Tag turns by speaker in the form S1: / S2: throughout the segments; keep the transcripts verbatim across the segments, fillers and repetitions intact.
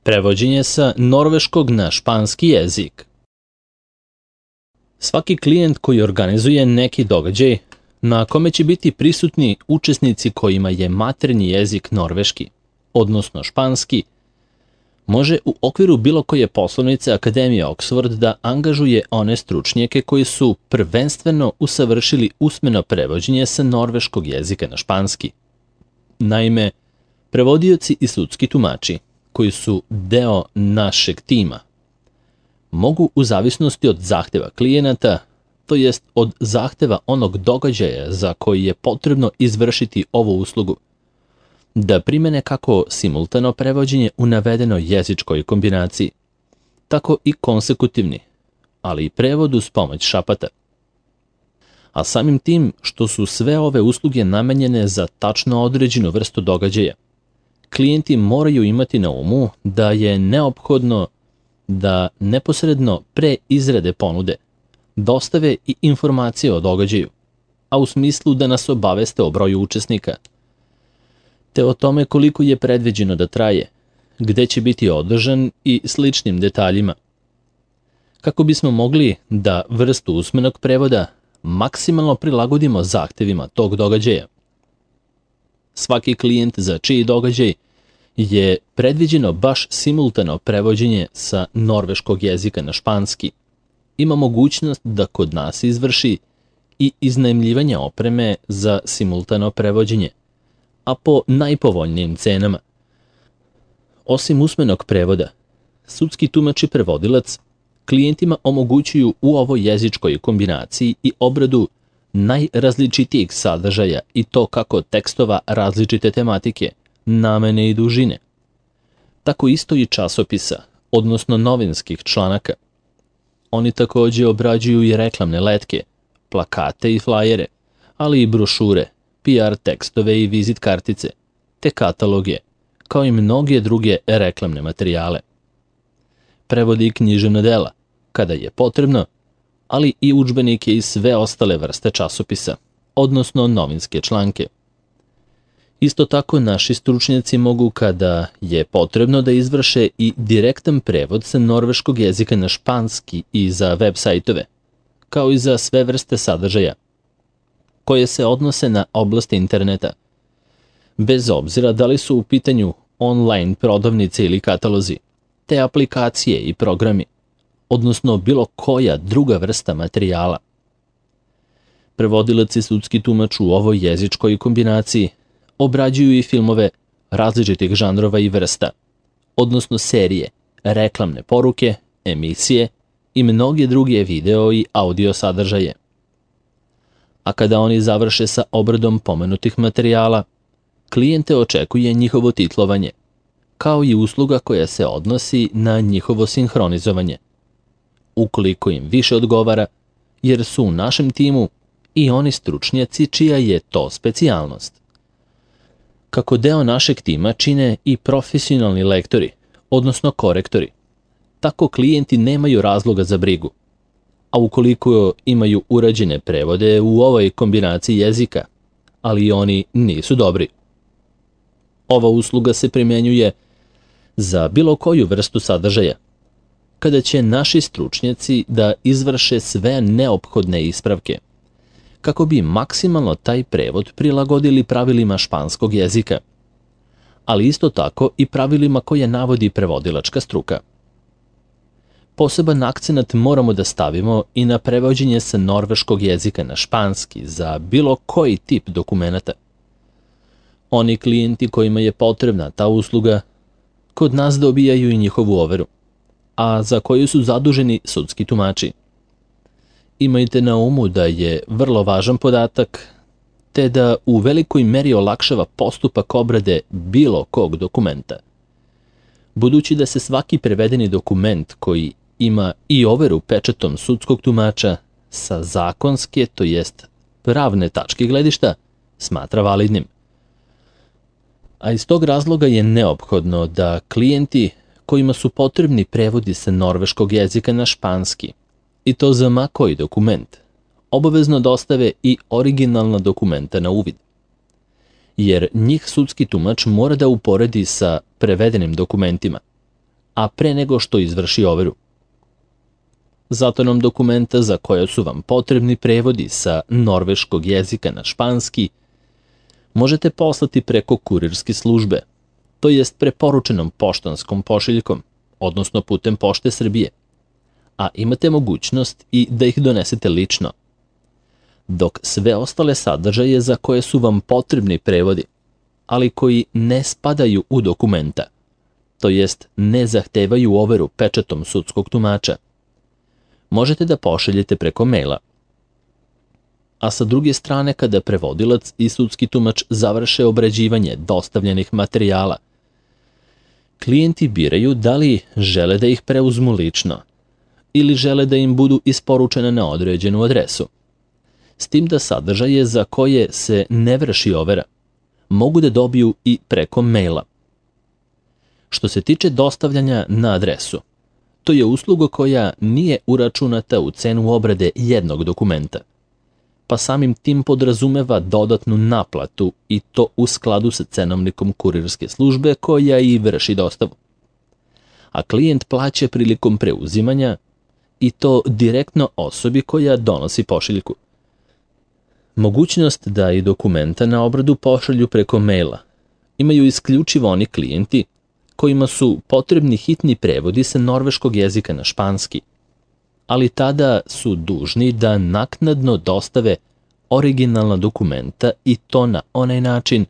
S1: Prevođenje sa norveškog na španski jezik. Svaki klijent koji organizuje neki događaj na kome će biti prisutni učesnici kojima je maternji jezik norveški, odnosno španski, može u okviru bilo koje poslovnice Akademije Oxford da angažuje one stručnjake koji su prvenstveno usavršili usmeno prevođenje sa norveškog jezika na španski. Naime, prevodioci i sudski tumači, koji su deo našeg tima, mogu u zavisnosti od zahteva klijenata, to jest od zahteva onog događaja za koji je potrebno izvršiti ovu uslugu, da primene kako simultano prevođenje u navedenoj jezičkoj kombinaciji, tako i konsekutivni, ali i prevod uz pomoć šapata. A samim tim što su sve ove usluge namenjene za tačno određenu vrstu događaja, klijenti moraju imati na umu da je neophodno da neposredno pre izrade ponude dostave i informacije o događaju, a u smislu da nas obaveste o broju učesnika, te o tome koliko je predviđeno da traje, gde će biti održan i sličnim detaljima, kako bismo mogli da vrstu usmenog prevoda maksimalno prilagodimo zahtevima tog događaja. Svaki klijent za čiji događaj je predviđeno baš simultano prevođenje sa norveškog jezika na španski, ima mogućnost da kod nas izvrši i iznajmljivanje opreme za simultano prevođenje, a po najpovoljnijim cenama. Osim usmenog prevoda, sudski tumač i prevodilac klijentima omogućuju u ovoj jezičkoj kombinaciji i obradu najrazličitijih sadržaja, i to kako tekstova različite tematike, namene i dužine, tako isto i časopisa, odnosno novinskih članaka. Oni takođe obrađuju i reklamne letke, plakate i flajere, ali i brošure, P R tekstove i vizit kartice, te kataloge, kao i mnoge druge reklamne materijale. Prevodi i književna dela, kada je potrebno, ali i udžbenike i sve ostale vrste časopisa, odnosno novinske članke. Isto tako naši stručnjaci mogu, kada je potrebno, da izvrše i direktan prevod sa norveškog jezika na španski i za web sajtove, kao i za sve vrste sadržaja koje se odnose na oblast interneta, bez obzira da li su u pitanju online prodavnice ili katalozi, te aplikacije i programi, odnosno bilo koja druga vrsta materijala. Prevodilac i sudski tumač u ovoj jezičkoj kombinaciji obrađuju i filmove različitih žanrova i vrsta, odnosno serije, reklamne poruke, emisije i mnoge druge video i audio sadržaje. A kada oni završe sa obradom pomenutih materijala, klijente očekuje njihovo titlovanje, kao i usluga koja se odnosi na njihovo sinhronizovanje, ukoliko im više odgovara, jer su u našem timu i oni stručnjaci čija je to specijalnost. Kako deo našeg tima čine i profesionalni lektori, odnosno korektori, tako klijenti nemaju razloga za brigu, a ukoliko imaju urađene prevode u ovoj kombinaciji jezika, ali oni nisu dobri. Ova usluga se primjenjuje za bilo koju vrstu sadržaja, kada će naši stručnjaci da izvrše sve neophodne ispravke, kako bi maksimalno taj prevod prilagodili pravilima španskog jezika, ali isto tako i pravilima koje navodi prevodilačka struka. Poseban akcenat moramo da stavimo i na prevođenje sa norveškog jezika na španski za bilo koji tip dokumenata. Oni klijenti kojima je potrebna ta usluga, kod nas dobijaju i njihovu overu, a za koju su zaduženi sudski tumači. Imajte na umu da je vrlo važan podatak, te da u velikoj meri olakšava postupak obrade bilo kog dokumenta. Budući da se svaki prevedeni dokument koji ima i overu pečatom sudskog tumača sa zakonske, to jest pravne tačke gledišta, smatra validnim. A iz tog razloga je neophodno da klijenti kojima su potrebni prevodi sa norveškog jezika na španski, i to za ma koji dokument, obavezno dostave i originalna dokumenta na uvid. Jer njih sudski tumač mora da uporedi sa prevedenim dokumentima, a pre nego što izvrši overu. Zato nam dokumenta za koje su vam potrebni prevodi sa norveškog jezika na španski možete poslati preko kurirske službe, to jest preporučenom poštanskom pošiljkom, odnosno putem Pošte Srbije, a imate mogućnost i da ih donesete lično. Dok sve ostale sadržaje za koje su vam potrebni prevodi, ali koji ne spadaju u dokumenta, to jest ne zahtevaju overu pečatom sudskog tumača, možete da pošaljete preko maila. A sa druge strane, kada prevodilac i sudski tumač završe obrađivanje dostavljenih materijala, klijenti biraju da li žele da ih preuzmu lično ili žele da im budu isporučene na određenu adresu, s tim da sadržaje za koje se ne vrši overa mogu da dobiju i preko maila. Što se tiče dostavljanja na adresu, to je usluga koja nije uračunata u cenu obrade jednog dokumenta, pa samim tim podrazumeva dodatnu naplatu i to u skladu sa cenovnikom kurirske službe koja i vrši dostavu. A klijent plaća prilikom preuzimanja i to direktno osobi koja donosi pošiljku. Mogućnost da i dokumenta na obradu pošalju preko maila imaju isključivo oni klijenti kojima su potrebni hitni prevodi sa norveškog jezika na španski, ali tada su dužni da naknadno dostave originalna dokumenta i to na onaj način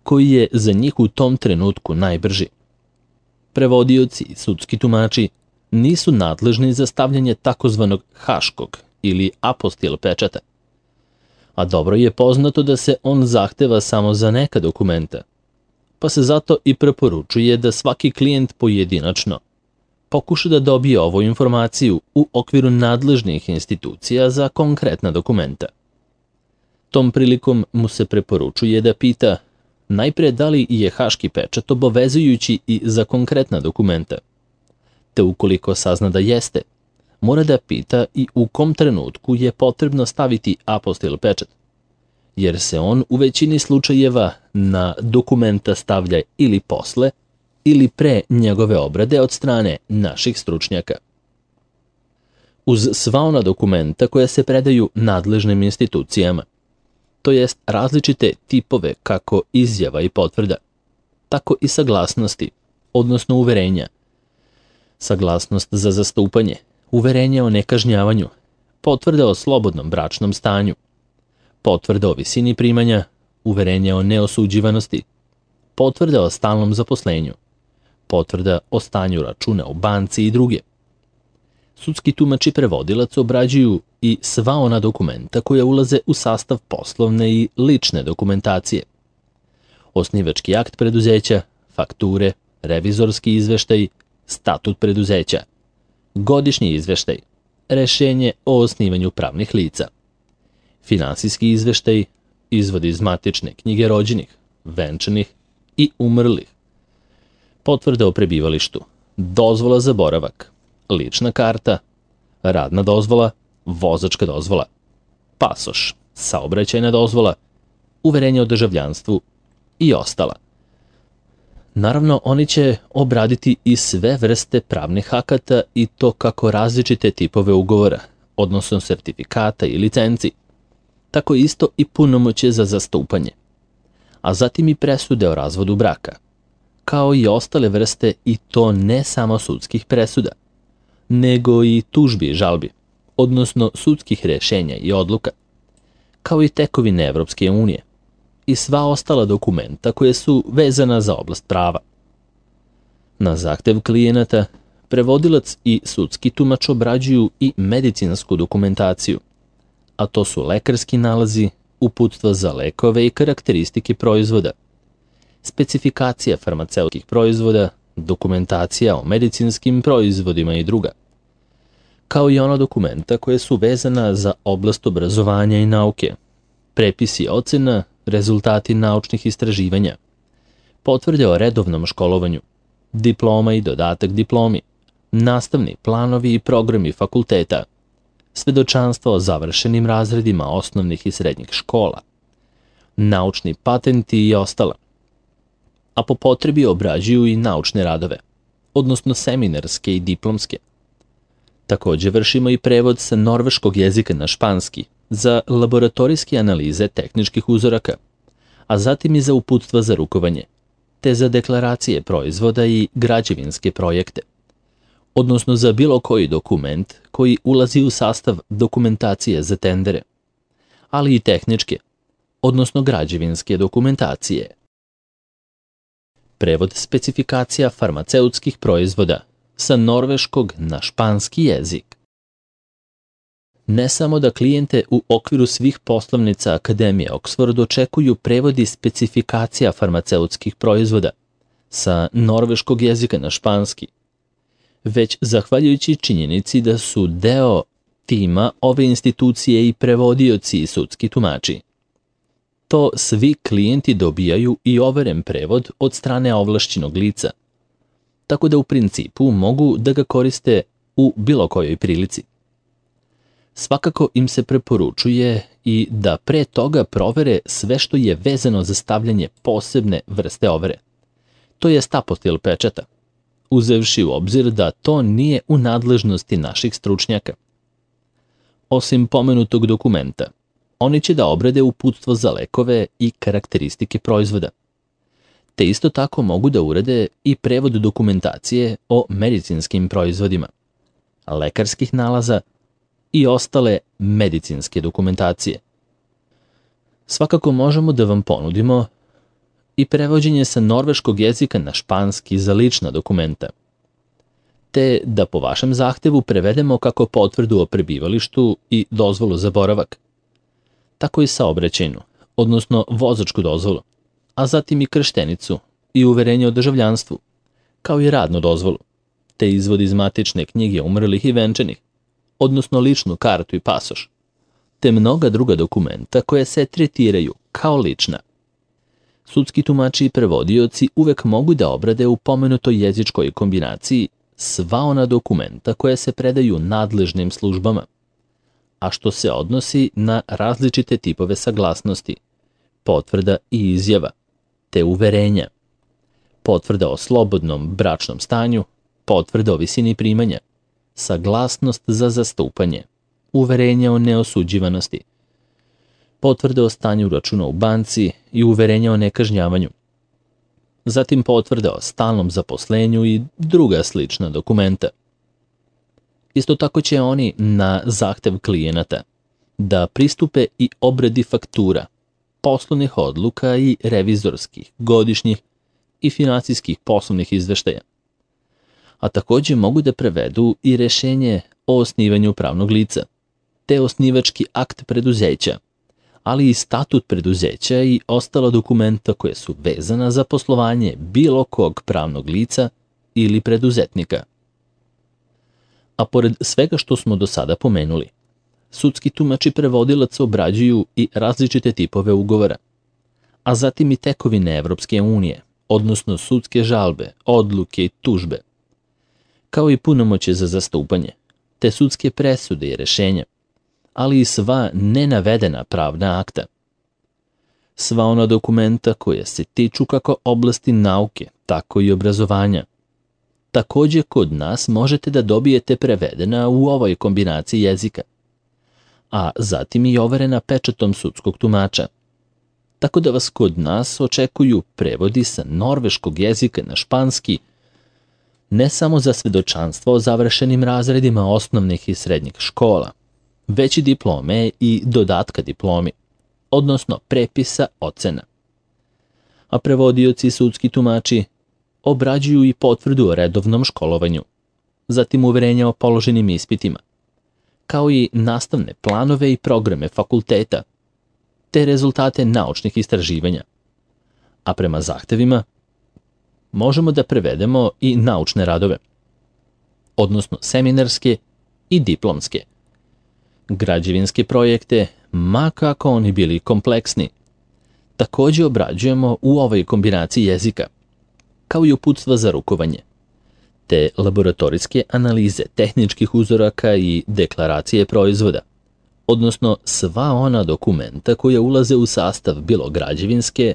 S1: koji je za njih u tom trenutku najbrži. Prevodioci i sudski tumači nisu nadležni za stavljanje takozvanog haškog ili apostil pečata, a dobro je poznato da se on zahteva samo za neka dokumenta, pa se zato i preporučuje da svaki klijent pojedinačno pokuša da dobije ovu informaciju u okviru nadležnih institucija za konkretna dokumenta. Tom prilikom mu se preporučuje da pita najpre da li je haški pečat obavezujući i za konkretna dokumenta, te ukoliko sazna da jeste, mora da pita i u kom trenutku je potrebno staviti apostil pečat, jer se on u većini slučajeva na dokumenta stavlja ili posle ili pre njegove obrade od strane naših stručnjaka. Uz sva ona dokumenta koja se predaju nadležnim institucijama, to jest različite tipove kako izjava i potvrda, tako i saglasnosti, odnosno uverenja, saglasnost za zastupanje, uverenje o nekažnjavanju, potvrda o slobodnom bračnom stanju, potvrda o visini primanja, uverenje o neosuđivanosti, potvrda o stalnom zaposlenju, potvrda o stanju računa u banci i druge. Sudski tumač i prevodilac obrađuju i sva ona dokumenta koja ulaze u sastav poslovne i lične dokumentacije. Osnivački akt preduzeća, fakture, revizorski izveštaj, statut preduzeća, godišnji izveštaj, rešenje o osnivanju pravnih lica, finansijski izveštaj, izvod iz matične knjige rođenih, venčanih i umrlih, potvrda o prebivalištu, dozvola za boravak, lična karta, radna dozvola, vozačka dozvola, pasoš, saobraćajna dozvola, uverenje o državljanstvu i ostala. Naravno, oni će obraditi i sve vrste pravnih akata i to kako različite tipove ugovora, odnosno sertifikata i licenci, tako isto i punomoćje za zastupanje, a zatim i presude o razvodu braka, kao i ostale vrste i to ne samo sudskih presuda, nego i tužbi i žalbi, odnosno sudskih rešenja i odluka, kao i tekovine Evropske unije i sva ostala dokumenta koje su vezana za oblast prava. Na zahtev klijenata, prevodilac i sudski tumač obrađuju i medicinsku dokumentaciju, a to su lekarski nalazi, uputstva za lekove i karakteristike proizvoda, specifikacija farmaceutskih proizvoda, dokumentacija o medicinskim proizvodima i druga, kao i ona dokumenta koje su vezana za oblast obrazovanja i nauke, prepisi ocena, rezultati naučnih istraživanja, potvrde o redovnom školovanju, diploma i dodatak diplomi, nastavni planovi i programi fakulteta, svedočanstvo o završenim razredima osnovnih i srednjih škola, naučni patenti i ostala, a po potrebi obrađuju i naučne radove, odnosno seminarske i diplomske. Takođe vršimo i prevod sa norveškog jezika na španski za laboratorijske analize tehničkih uzoraka, a zatim i za uputstva za rukovanje, te za deklaracije proizvoda i građevinske projekte, odnosno za bilo koji dokument koji ulazi u sastav dokumentacije za tendere, ali i tehničke, odnosno građevinske dokumentacije. Prevod specifikacija farmaceutskih proizvoda sa norveškog na španski jezik. Ne samo da klijente u okviru svih poslovnica Akademije Oxford očekuju prevodi specifikacija farmaceutskih proizvoda sa norveškog jezika na španski, već zahvaljujući činjenici da su deo tima ove institucije i prevodioci i sudski tumači. To svi klijenti dobijaju i overen prevod od strane ovlašćenog lica, tako da u principu mogu da ga koriste u bilo kojoj prilici. Svakako im se preporučuje i da pre toga provere sve što je vezano za stavljanje posebne vrste overe, to je apostil pečata, uzevši u obzir da to nije u nadležnosti naših stručnjaka. Osim pomenutog dokumenta, oni će da obrade uputstvo za lekove i karakteristike proizvoda, te isto tako mogu da urade i prevod dokumentacije o medicinskim proizvodima, lekarskih nalaza i ostale medicinske dokumentacije. Svakako možemo da vam ponudimo i prevođenje sa norveškog jezika na španski za lična dokumenta, te da po vašem zahtevu prevedemo kako potvrdu o prebivalištu i dozvolu za boravak, tako i saobraćajnu, odnosno vozačku dozvolu, a zatim i krštenicu i uverenje o državljanstvu, kao i radnu dozvolu, te izvod iz matične knjige umrlih i venčanih, odnosno ličnu kartu i pasoš, te mnoga druga dokumenta koje se tretiraju kao lična. Sudski tumači i prevodioci uvek mogu da obrade u pomenutoj jezičkoj kombinaciji sva ona dokumenta koje se predaju nadležnim službama, a što se odnosi na različite tipove saglasnosti, potvrda i izjava, te uverenja, potvrda o slobodnom bračnom stanju, potvrda o visini primanja, saglasnost za zastupanje, uverenja o neosuđivanosti, potvrda o stanju računa u banci i uverenja o nekažnjavanju, zatim potvrda o stalnom zaposlenju i druga slična dokumenta. Isto tako će oni na zahtev klijenata da pristupe i obradi faktura, poslovnih odluka i revizorskih, godišnjih i finansijskih poslovnih izveštaja, a takođe mogu da prevedu i rešenje o osnivanju pravnog lica, te osnivački akt preduzeća, ali i statut preduzeća i ostala dokumenta koje su vezana za poslovanje bilo kog pravnog lica ili preduzetnika. A pored svega što smo do sada pomenuli, sudski tumač i prevodilac obrađuju i različite tipove ugovora, a zatim i tekovine Evropske unije, odnosno sudske žalbe, odluke i tužbe, kao i punomoćje za zastupanje, te sudske presude i rešenja, ali i sva nenavedena pravna akta. Sva ona dokumenta koja se tiču kako oblasti nauke, tako i obrazovanja. Takođe kod nas možete da dobijete prevedena u ovoj kombinaciji jezika, a zatim i overena pečatom sudskog tumača. Tako da vas kod nas očekuju prevodi sa norveškog jezika na španski, ne samo za svedočanstvo o završenim razredima osnovnih i srednjih škola, već i diplome i dodatka diplomi, odnosno prepisa ocena. A prevodioci i sudski tumači obrađuju i potvrdu o redovnom školovanju, zatim uverenja o položenim ispitima, kao i nastavne planove i programe fakulteta, te rezultate naučnih istraživanja. A prema zahtevima možemo da prevedemo i naučne radove, odnosno seminarske i diplomske, građevinske projekte, ma kako oni bili kompleksni. Takođe obrađujemo u ovoj kombinaciji jezika, kao i uputstva za rukovanje, te laboratorijske analize tehničkih uzoraka i deklaracije proizvoda, odnosno sva ona dokumenta koja ulaze u sastav bilo građevinske,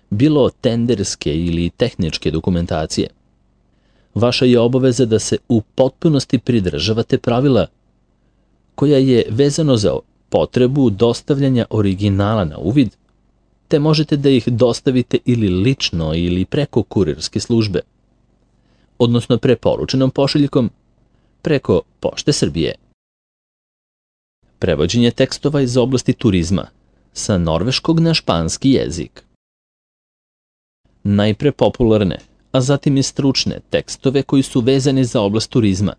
S1: bilo tenderske ili tehničke dokumentacije. Vaša je obaveza da se u potpunosti pridržavate pravila koja je vezano za potrebu dostavljanja originala na uvid, te možete da ih dostavite ili lično ili preko kurirske službe, odnosno preporučenom pošiljkom preko Pošte Srbije. Prevođenje tekstova iz oblasti turizma sa norveškog na španski jezik. Najpre popularne, a zatim i stručne tekstove koji su vezani za oblast turizma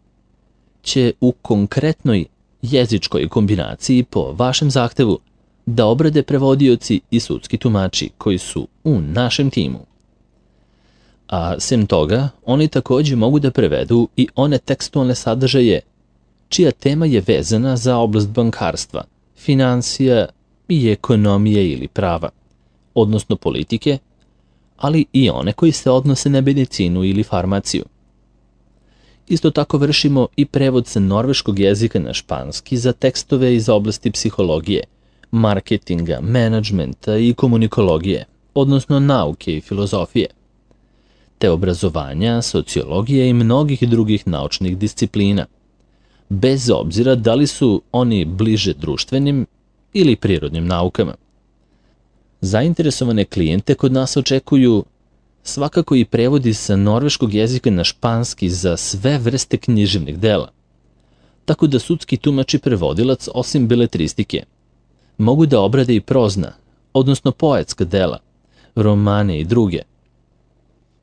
S1: će u konkretnoj jezičkoj kombinaciji po vašem zahtevu da obrade prevodioci i sudski tumači koji su u našem timu. A sem toga, oni takođe mogu da prevedu i one tekstualne sadržaje čija tema je vezana za oblast bankarstva, finansija i ekonomije ili prava, odnosno politike, ali i one koji se odnose na medicinu ili farmaciju. Isto tako vršimo i prevod sa norveškog jezika na španski za tekstove iz oblasti psihologije, marketinga, menadžmenta i komunikologije, odnosno nauke i filozofije, te obrazovanja, sociologije i mnogih drugih naučnih disciplina, bez obzira da li su oni bliže društvenim ili prirodnim naukama. Zainteresovane klijente kod nas očekuju svakako i prevodi sa norveškog jezika na španski za sve vrste književnih dela, tako da sudski tumač i prevodilac osim beletristike mogu da obrade i prozna, odnosno poetska dela, romane i druge,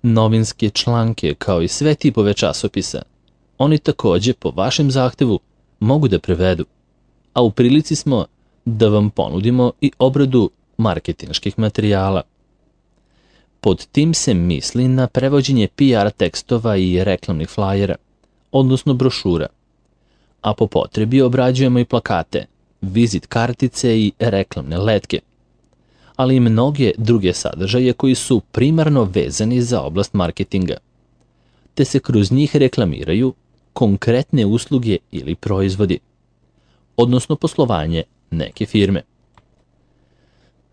S1: novinske članke kao i sve tipove časopisa. Oni takođe po vašem zahtevu mogu da prevedu, a u prilici smo da vam ponudimo i obradu marketinških materijala. Pod tim se misli na prevođenje P R tekstova i reklamnih flajera, odnosno brošura, a po potrebi obrađujemo i plakate, vizit kartice i reklamne letke, ali i mnoge druge sadržaje koji su primarno vezani za oblast marketinga, te se kroz njih reklamiraju konkretne usluge ili proizvodi, odnosno poslovanje neke firme.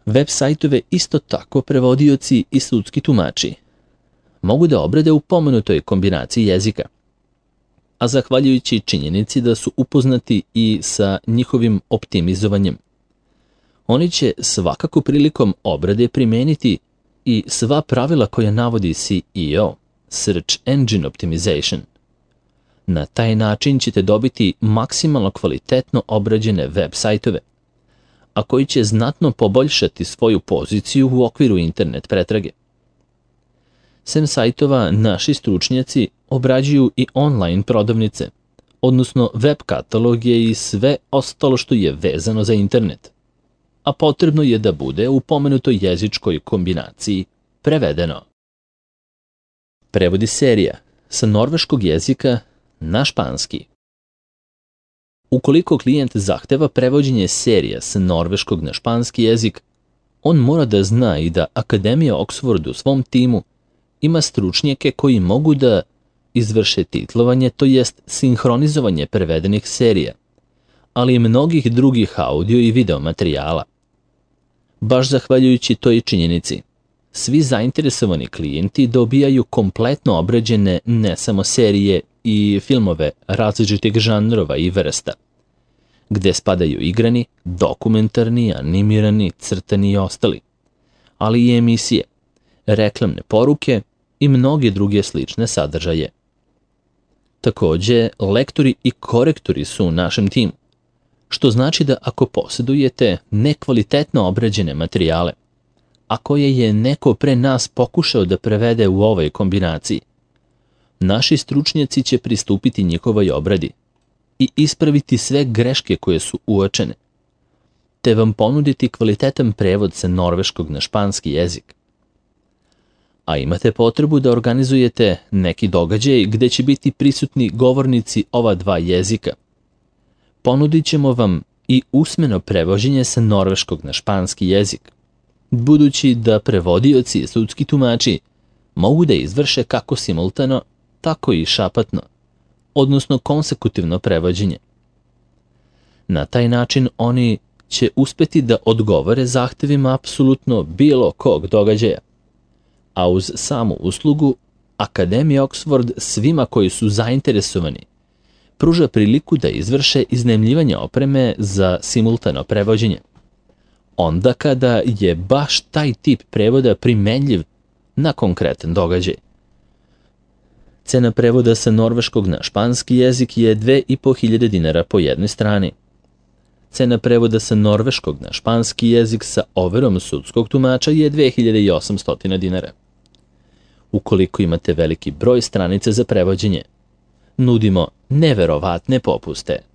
S1: Web sajtove isto tako prevodioci i sudski tumači mogu da obrade u pomenutoj kombinaciji jezika, a zahvaljujući činjenici da su upoznati i sa njihovim optimizovanjem. Oni će svakako prilikom obrade primeniti i sva pravila koja navodi S E O, Search Engine Optimization. Na taj način ćete dobiti maksimalno kvalitetno obrađene web sajtove, a koji će znatno poboljšati svoju poziciju u okviru internet pretrage. Sem sajtova, naši stručnjaci obrađuju i online prodavnice, odnosno web kataloge i sve ostalo što je vezano za internet, a potrebno je da bude u pomenutoj jezičkoj kombinaciji prevedeno. Prevodi serija sa norveškog jezika na španski. Ukoliko klijent zahteva prevođenje serija sa norveškog na španski jezik, on mora da zna i da Akademija Oxford u svom timu ima stručnjake koji mogu da izvrše titlovanje, to jest sinhronizovanje prevedenih serija, ali i mnogih drugih audio i video materijala. Baš zahvaljujući toj činjenici, svi zainteresovani klijenti dobijaju kompletno obrađene ne samo serije i filmove različitih žanrova i vrsta, gde spadaju igrani, dokumentarni, animirani, crtani i ostali, ali i emisije, reklamne poruke i mnoge druge slične sadržaje. Takođe, lektori i korektori su u našem timu, što znači da ako posjedujete nekvalitetno obrađene materijale, a koje je neko pre nas pokušao da prevede u ovoj kombinaciji, naši stručnjaci će pristupiti njihovoj obradi i ispraviti sve greške koje su uočene, te vam ponuditi kvalitetan prevod sa norveškog na španski jezik. A imate potrebu da organizujete neki događaj gde će biti prisutni govornici ova dva jezika. Ponudit ćemo vam i usmeno prevođenje sa norveškog na španski jezik, budući da prevodioci i sudski tumači mogu da izvrše kako simultano, tako i šapatno, odnosno konsekutivno prevođenje. Na taj način oni će uspeti da odgovore zahtevima apsolutno bilo kog događaja, a uz samu uslugu Akademija Oxford svima koji su zainteresovani pruža priliku da izvrše iznajmljivanje opreme za simultano prevođenje. Onda kada je baš taj tip prevoda primenljiv na konkretan događaj. Cena prevoda sa norveškog na španski jezik je dve i po hiljade dinara po jednoj strani. Cena prevoda sa norveškog na španski jezik sa overom sudskog tumača je dve hiljade osamsto dinara. Ukoliko imate veliki broj stranica za prevođenje, nudimo neverovatne popuste.